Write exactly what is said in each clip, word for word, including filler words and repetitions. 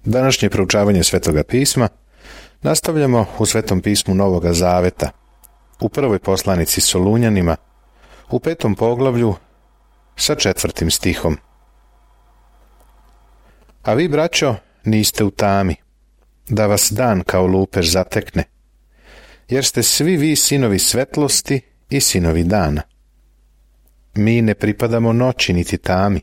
Današnje proučavanje Svetoga pisma nastavljamo u Svetom pismu Novoga Zaveta, u prvoj poslanici Solunjanima, u petom poglavlju sa četvrtim stihom. A vi, braćo, niste u tami, da vas dan kao lupež zatekne, jer ste svi vi sinovi svetlosti i sinovi dana. Mi ne pripadamo noći niti tami.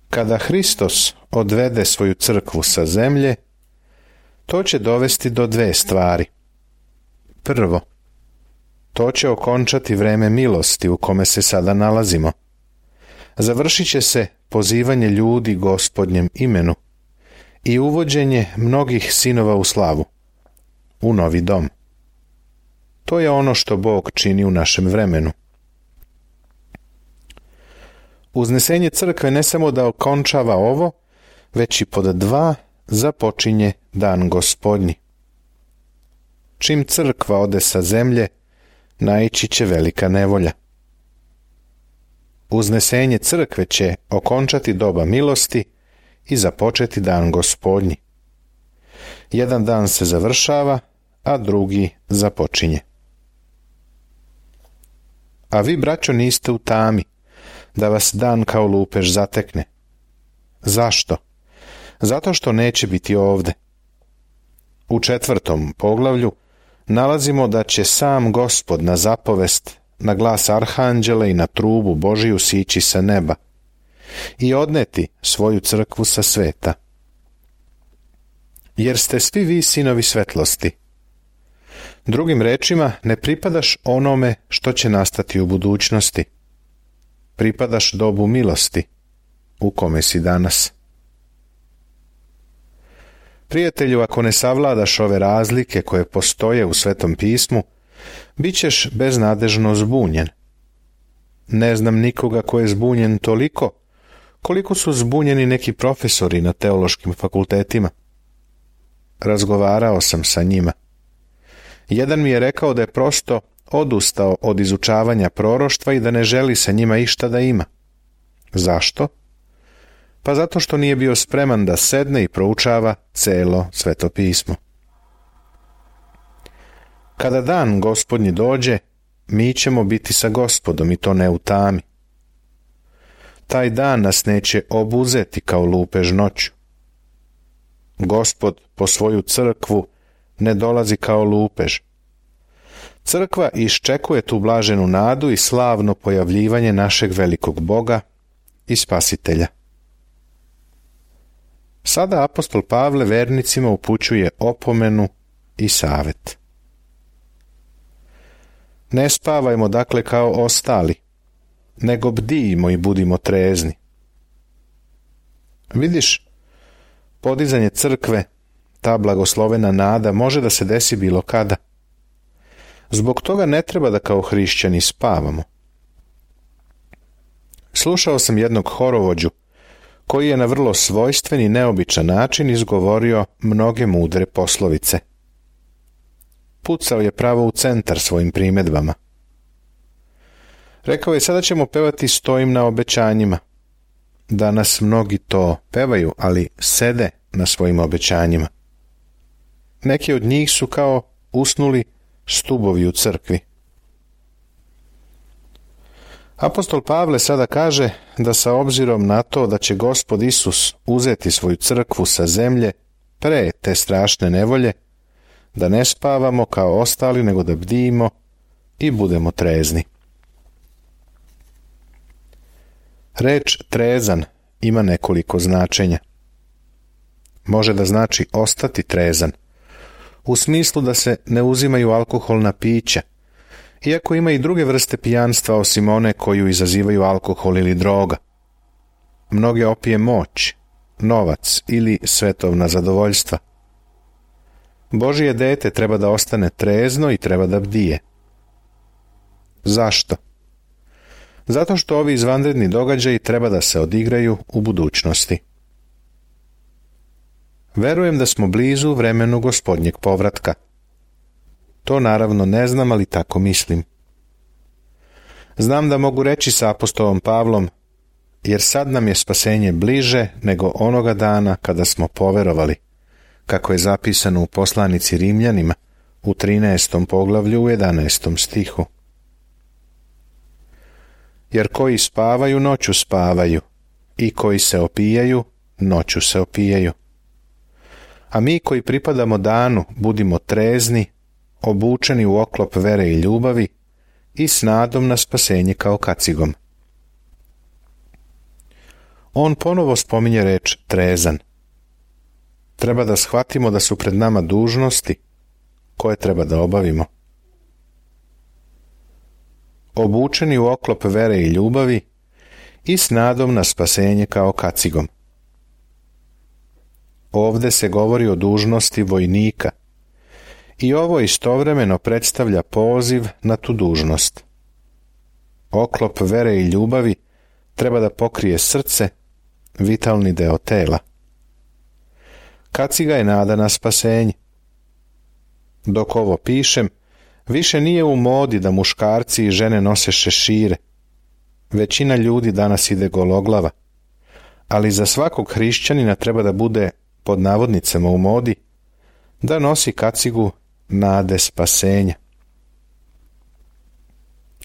Kada Hristos odvede svoju crkvu sa zemlje, to će dovesti do dve stvari. Prvo, to će okončati vreme milosti u kome se sada nalazimo. Završit će se pozivanje ljudi Gospodnjem imenu i uvođenje mnogih sinova u slavu, u novi dom. To je ono što Bog čini u našem vremenu. Uznesenje crkve ne samo da okončava ovo, već i pod dva započinje dan Gospodnji. Čim crkva ode sa zemlje, naići će velika nevolja. Uznesenje crkve će okončati doba milosti i započeti dan Gospodnji. Jedan dan se završava, a drugi započinje. A vi, braćo, niste u tami, da vas dan kao lupež zatekne. Zašto? Zato što neće biti ovde. U četvrtom poglavlju nalazimo da će sam Gospod na zapovest, na glas arhanđela i na trubu Božiju sići sa neba i odneti svoju crkvu sa sveta. Jer ste svi vi sinovi svetlosti. Drugim rečima, ne pripadaš onome što će nastati u budućnosti. Pripadaš dobu milosti, u kome si danas. Prijatelju, ako ne savladaš ove razlike koje postoje u Svetom pismu, bit ćeš beznadežno zbunjen. Ne znam nikoga ko je zbunjen toliko, koliko su zbunjeni neki profesori na teološkim fakultetima. Razgovarao sam sa njima. Jedan mi je rekao da je prosto odustao od izučavanja proroštva i da ne želi sa njima išta da ima. Zašto? Pa zato što nije bio spreman da sedne i proučava celo Sveto pismo. Kada dan Gospodnji dođe, mi ćemo biti sa Gospodom i to ne u tami. Taj dan nas neće obuzeti kao lupež noću. Gospod po svoju crkvu ne dolazi kao lupež. Crkva iščekuje tu blaženu nadu i slavno pojavljivanje našeg velikog Boga i Spasitelja. Sada apostol Pavle vernicima upućuje opomenu i savet. Ne spavajmo dakle kao ostali, nego bdijimo i budimo trezni. Vidiš, podizanje crkve, ta blagoslovena nada, može da se desi bilo kada. Zbog toga ne treba da kao hrišćani spavamo. Slušao sam jednog horovođu koji je na vrlo svojstven i neobičan način izgovorio mnoge mudre poslovice. Pucao je pravo u centar svojim primedbama. Rekao je, sada ćemo pevati Stojim na obećanjima. Danas mnogi to pevaju, ali sede na svojim obećanjima. Neki od njih su kao usnuli stubovi u crkvi. Apostol Pavle sada kaže da sa obzirom na to da će Gospod Isus uzeti svoju crkvu sa zemlje pre te strašne nevolje, da ne spavamo kao ostali, nego da bdijimo i budemo trezni. Reč trezan ima nekoliko značenja. Može da znači ostati trezan, u smislu da se ne uzimaju alkoholna pića, iako ima i druge vrste pijanstva osim one koju izazivaju alkohol ili droga. Mnoge opije moć, novac ili svetovna zadovoljstva. Božije dete treba da ostane trezno i treba da bdije. Zašto? Zato što ovi izvanredni događaji treba da se odigraju u budućnosti. Verujem da smo blizu vremenu Gospodnjeg povratka. To naravno ne znam, ali tako mislim. Znam da mogu reći sa apostolom Pavlom, jer sad nam je spasenje bliže nego onoga dana kada smo poverovali, kako je zapisano u poslanici Rimljanima u trinaestom poglavlju u jedanaestom stihu. Jer koji spavaju, noću spavaju, i koji se opijaju, noću se opijaju. A mi koji pripadamo danu, budimo trezni, obučeni u oklop vere i ljubavi i s nadom na spasenje kao kacigom. On ponovo spominje reč trezan. Treba da shvatimo da su pred nama dužnosti koje treba da obavimo. Obučeni u oklop vere i ljubavi i s nadom na spasenje kao kacigom. Ovde se govori o dužnosti vojnika i ovo istovremeno predstavlja poziv na tu dužnost. Oklop vere i ljubavi treba da pokrije srce, vitalni deo tela. Kaciga je nada na spasenje. Dok ovo pišem, više nije u modi da muškarci i žene nose šešire. Većina ljudi danas ide gologlava, ali za svakog hrišćanina treba da bude, pod navodnicama u modi, da nosi kacigu nade spasenja.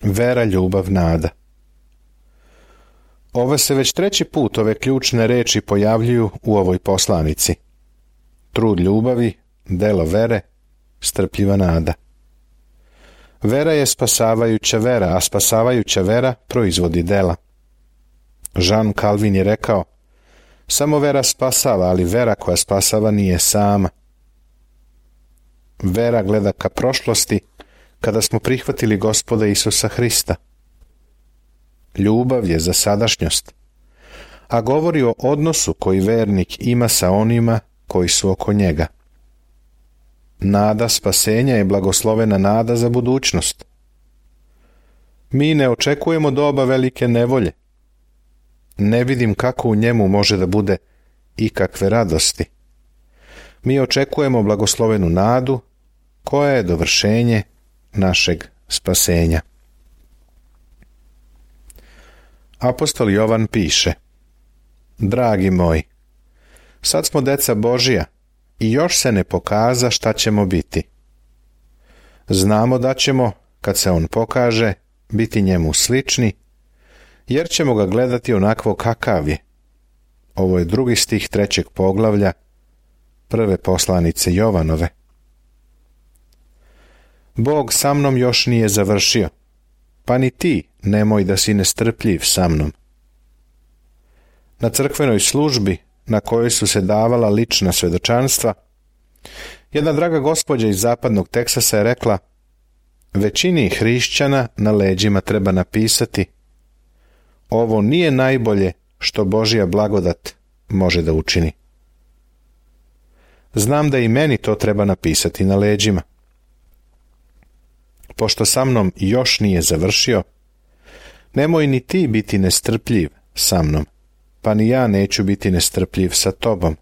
Vera, ljubav, nada. Ove se već treći put ove ključne reči pojavljuju u ovoj poslanici. Trud ljubavi, delo vere, strpljiva nada. Vera je spasavajuća vera, a spasavajuća vera proizvodi dela. Jean Calvin je rekao, samo vera spasava, ali vera koja spasava nije sama. Vera gleda ka prošlosti kada smo prihvatili Gospoda Isusa Hrista. Ljubav je za sadašnjost, a govori o odnosu koji vernik ima sa onima koji su oko njega. Nada spasenja je blagoslovena nada za budućnost. Mi ne očekujemo doba velike nevolje. Ne vidim kako u njemu može da bude ikakve radosti. Mi očekujemo blagoslovenu nadu koja je dovršenje našeg spasenja. Apostol Jovan piše: Dragi moji, sad smo deca Božija i još se ne pokaza šta ćemo biti. Znamo da ćemo, kad se on pokaže, biti njemu slični, jer ćemo ga gledati onakvo kakav je. Ovo je drugi stih trećeg poglavlja prve poslanice Jovanove. Bog sa mnom još nije završio, pa ni ti nemoj da si nestrpljiv sa mnom. Na crkvenoj službi, na kojoj su se davala lična svedočanstva, jedna draga gospođa iz zapadnog Teksasa je rekla: većini hrišćana na leđima treba napisati: ovo nije najbolje što Božja blagodat može da učini. Znam da i meni to treba napisati na leđima. Pošto sa mnom još nije završio, nemoj ni ti biti nestrpljiv sa mnom, pa ni ja neću biti nestrpljiv sa tobom.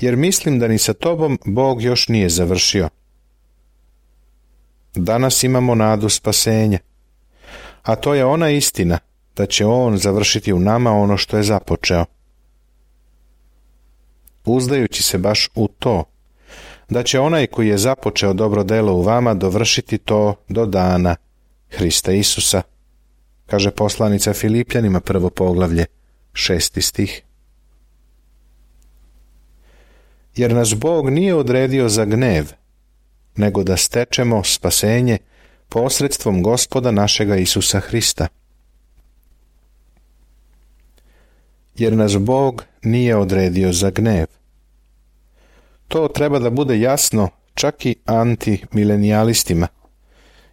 Jer mislim da ni sa tobom Bog još nije završio. Danas imamo nadu spasenja, a to je ona istina da će On završiti u nama ono što je započeo. Uzdajući se baš u to, da će onaj koji je započeo dobro delo u vama dovršiti to do dana Hrista Isusa, kaže poslanica Filipljanima prvo poglavlje, šesti stih. Jer nas Bog nije odredio za gnev, nego da stečemo spasenje posredstvom Gospoda našega Isusa Hrista. Jer nas Bog nije odredio za gnev. To treba da bude jasno čak i antimilenialistima,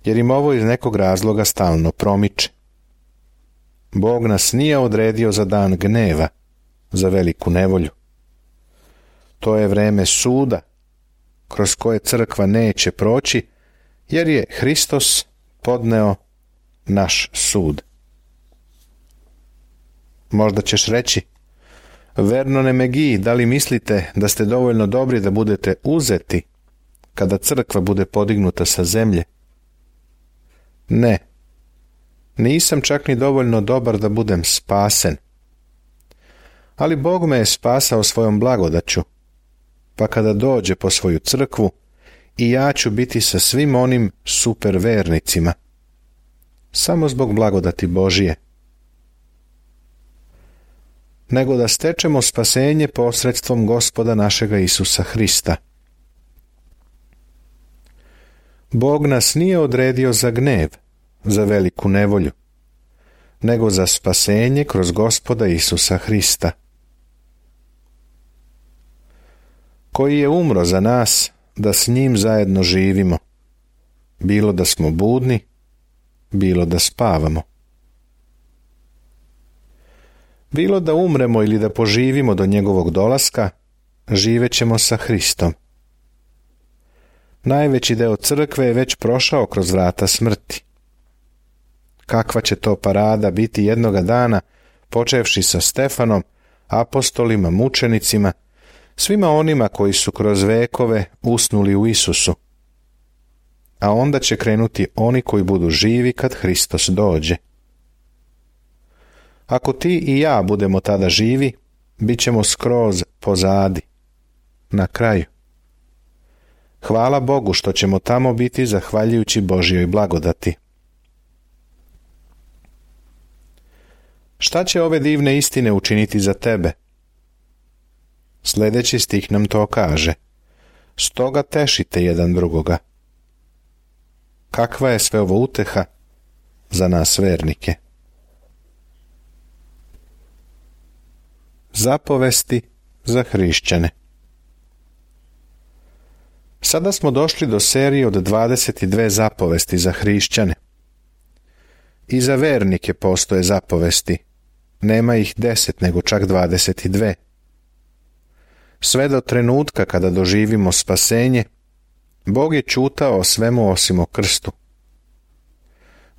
jer im ovo iz nekog razloga stalno promiče. Bog nas nije odredio za dan gneva, za veliku nevolju. To je vreme suda, kroz koje crkva neće proći, jer je Hristos podneo naš sud. Možda ćeš reći: Vernone Megi, da li mislite da ste dovoljno dobri da budete uzeti kada crkva bude podignuta sa zemlje? Ne. Nisam čak ni dovoljno dobar da budem spasen. Ali Bog me je spasao svojom blagodaću, pa kada dođe po svoju crkvu, i ja ću biti sa svim onim super vernicima. Samo zbog blagodati Božije. Nego da stečemo spasenje posredstvom Gospoda našega Isusa Hrista. Bog nas nije odredio za gnev, za veliku nevolju, nego za spasenje kroz Gospoda Isusa Hrista, koji je umro za nas da s njim zajedno živimo, bilo da smo budni, bilo da spavamo. Bilo da umremo ili da poživimo do njegovog dolaska, živećemo sa Hristom. Najveći deo crkve je već prošao kroz vrata smrti. Kakva će to parada biti jednoga dana, počevši sa Stefanom, apostolima, mučenicima, svima onima koji su kroz vekove usnuli u Isusu. A onda će krenuti oni koji budu živi kad Hristos dođe. Ako ti i ja budemo tada živi, bit ćemo skroz pozadi, na kraju. Hvala Bogu što ćemo tamo biti zahvaljujući Božjoj blagodati. Šta će ove divne istine učiniti za tebe? Sljedeći stih nam to kaže. Stoga tešite jedan drugoga. Kakva je sve ovo uteha za nas vernike? Zapovesti za hrišćane. Sada smo došli do serije od dvadeset dvije zapovesti za hrišćane. I za vernike postoje zapovesti. Nema ih deset, nego čak dvadeset dvije. Sve do trenutka kada doživimo spasenje, Bog je ćutao o svemu osim o krstu.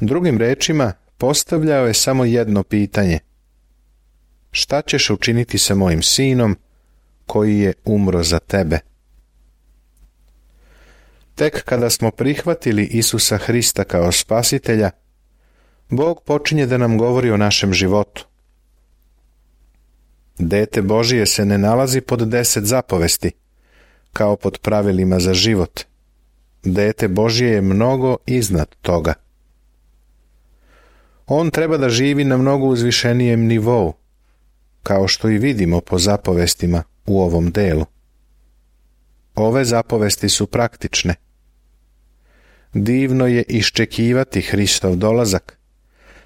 Drugim rečima, postavljao je samo jedno pitanje. Šta ćeš učiniti sa mojim sinom koji je umro za tebe? Tek kada smo prihvatili Isusa Hrista kao spasitelja, Bog počinje da nam govori o našem životu. Dete Božije se ne nalazi pod deset zapovesti, kao pod pravilima za život. Dete Božije je mnogo iznad toga. On treba da živi na mnogo uzvišenijem nivou, kao što i vidimo po zapovestima u ovom delu. Ove zapovesti su praktične. Divno je iščekivati Hristov dolazak,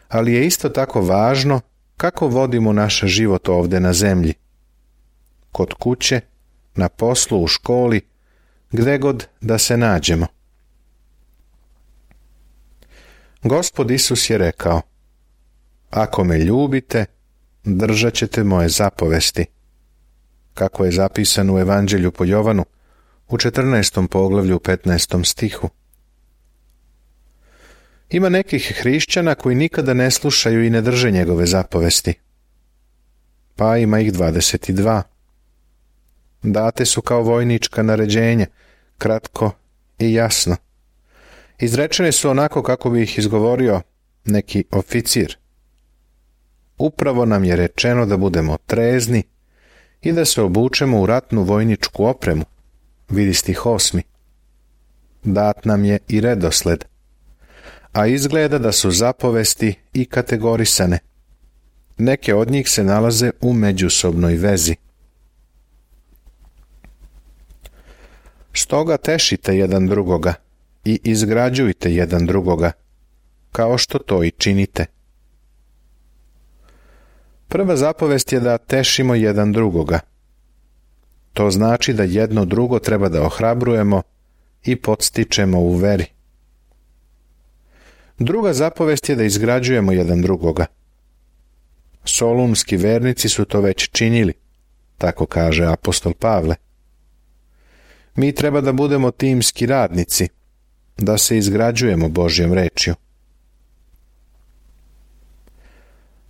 ali je isto tako važno kako vodimo naš život ovdje na zemlji. Kod kuće, na poslu, u školi, gde god da se nađemo. Gospod Isus je rekao, ako me ljubite, držat ćete moje zapovesti, kako je zapisano u Evanđelju po Jovanu u četrnaestom poglavlju u petnaestom stihu. Ima nekih hrišćana koji nikada ne slušaju i ne drže njegove zapovesti. Pa ima ih dvadeset dva. Date su kao vojnička naređenja, kratko i jasno. Izrečene su onako kako bi ih izgovorio neki oficir. Upravo nam je rečeno da budemo trezni i da se obučemo u ratnu vojničku opremu, vidi stih osmi. Dat nam je i redosled, a izgleda da su zapovesti i kategorisane. Neke od njih se nalaze u međusobnoj vezi. Stoga tešite jedan drugoga i izgrađujte jedan drugoga, kao što to i činite. Prva zapovest je da tešimo jedan drugoga. To znači da jedno drugo treba da ohrabrujemo i podstičemo u veri. Druga zapovest je da izgrađujemo jedan drugoga. Solunski vernici su to već činili, tako kaže apostol Pavle. Mi treba da budemo timski radnici, da se izgrađujemo Božjom rečju.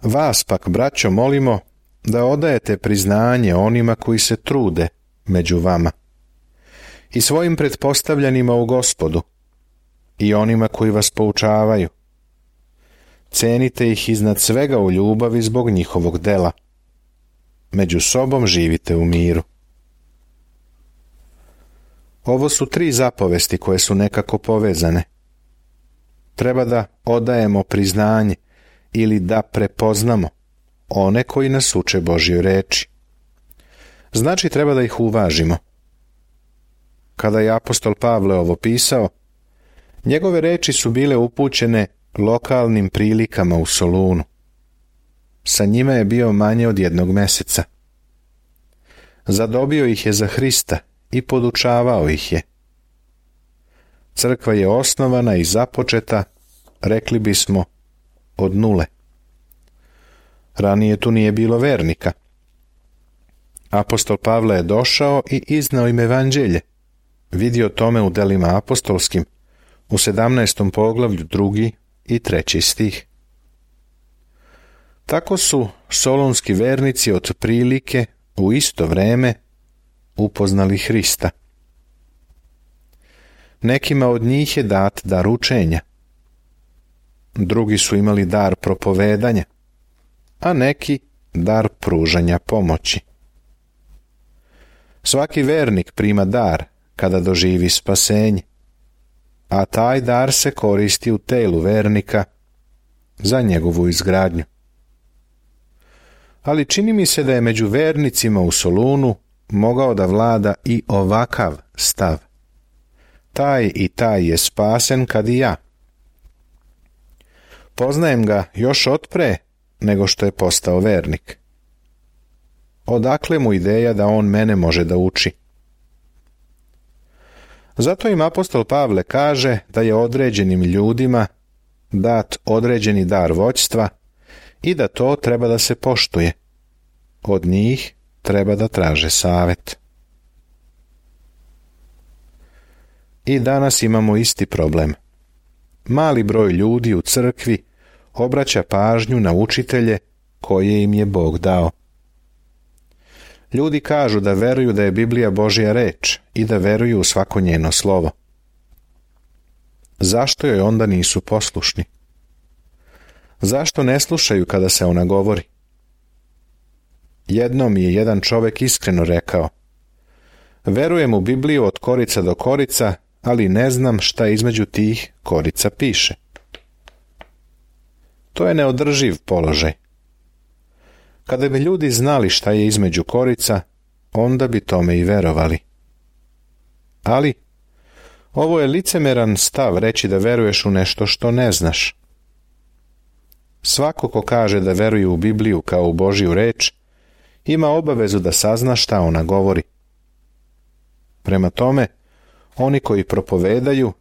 Vas pak, braćo, molimo da odajete priznanje onima koji se trude među vama i svojim pretpostavljanima u Gospodu i onima koji vas poučavaju. cenite ih iznad svega u ljubavi zbog njihovog dela. Među sobom živite u miru. Ovo su tri zapovesti koje su nekako povezane. Treba da odajemo priznanje ili da prepoznamo one koji nas uče Božjoj reči. Znači treba da ih uvažimo. Kada je apostol Pavle ovo pisao, njegove reči su bile upućene lokalnim prilikama u Solunu. Sa njima je bio manje od jednog meseca. Zadobio ih je za Hrista i podučavao ih je. Crkva je osnovana i započeta, rekli bismo, od nule. Ranije tu nije bilo vernika. Apostol Pavle je došao i iznao im evanđelje. Vidio tome u delima apostolskim, u sedamnaestom poglavlju drugi i treći stih. Tako su solunski vernici od prilike u isto vreme upoznali Hrista. Nekima od njih je dat dar učenja. Drugi su imali dar propovedanja, a neki dar pružanja pomoći. Svaki vernik prima dar kada doživi spasenje, a taj dar se koristi u telu vernika za njegovu izgradnju. Ali čini mi se da je među vernicima u Solunu mogao da vlada i ovakav stav. Taj i taj je spasen kad i ja. Poznajem ga još otpre nego što je postao vernik. Odakle mu ideja da on mene može da uči? Zato im apostol Pavle kaže da je određenim ljudima dat određeni dar vođstva i da to treba da se poštuje. Od njih treba da traže savet. I danas imamo isti problem. Mali broj ljudi u crkvi obraća pažnju na učitelje koje im je Bog dao. Ljudi kažu da veruju da je Biblija Božja reč i da veruju u svako njeno slovo. Zašto joj onda nisu poslušni? Zašto ne slušaju kada se ona govori? Jednom je jedan čovjek iskreno rekao: verujem u Bibliju od korica do korica, ali ne znam šta između tih korica piše. To je neodrživ položaj. Kada bi ljudi znali šta je između korica, onda bi tome i verovali. Ali, ovo je licemeran stav reći da veruješ u nešto što ne znaš. Svako ko kaže da veruje u Bibliju kao u Božju reč, ima obavezu da sazna šta ona govori. Prema tome, oni koji propovedaju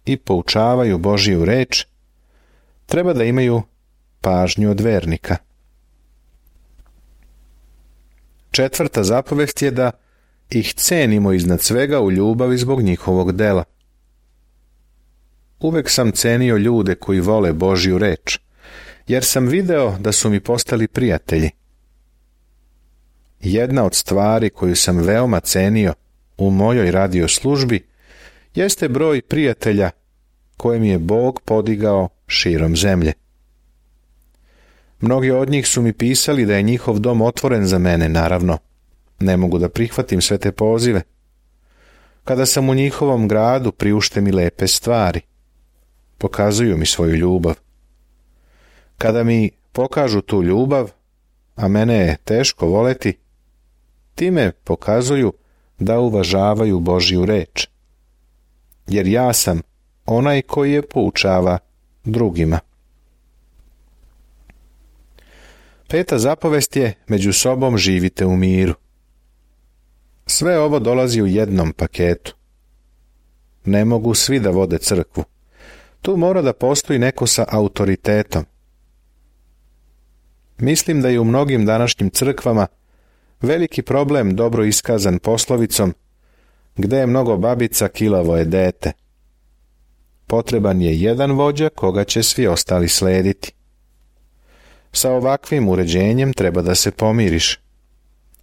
i poučavaju Božju reč, treba da imaju pažnju od vernika. Četvrta zapovest je da ih cenimo iznad svega u ljubavi zbog njihovog dela. Uvek sam cenio ljude koji vole Božju reč, jer sam video da su mi postali prijatelji. Jedna od stvari koju sam veoma cenio u mojoj radio službi jeste broj prijatelja koje mi je Bog podigao širom zemlje. Mnogi od njih su mi pisali da je njihov dom otvoren za mene, naravno. Ne mogu da prihvatim sve te pozive. Kada sam u njihovom gradu, priušte mi lepe stvari. Pokazuju mi svoju ljubav. Kada mi pokažu tu ljubav, a mene je teško voleti, time pokazuju da uvažavaju Božju reč. Jer ja sam onaj koji je poučava drugima. Peta zapovest je: među sobom živite u miru. Sve ovo dolazi u jednom paketu. Ne mogu svi da vode crkvu. Tu mora da postoji neko sa autoritetom. Mislim da je u mnogim današnjim crkvama veliki problem dobro iskazan poslovicom: gde je mnogo babica, kilavo je dete. Potreban je jedan vođa koga će svi ostali slediti. Sa ovakvim uređenjem treba da se pomiriš.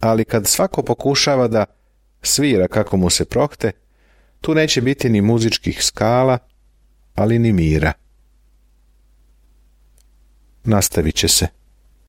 Ali kad svako pokušava da svira kako mu se prohte, tu neće biti ni muzičkih skala, ali ni mira. nastavit će se.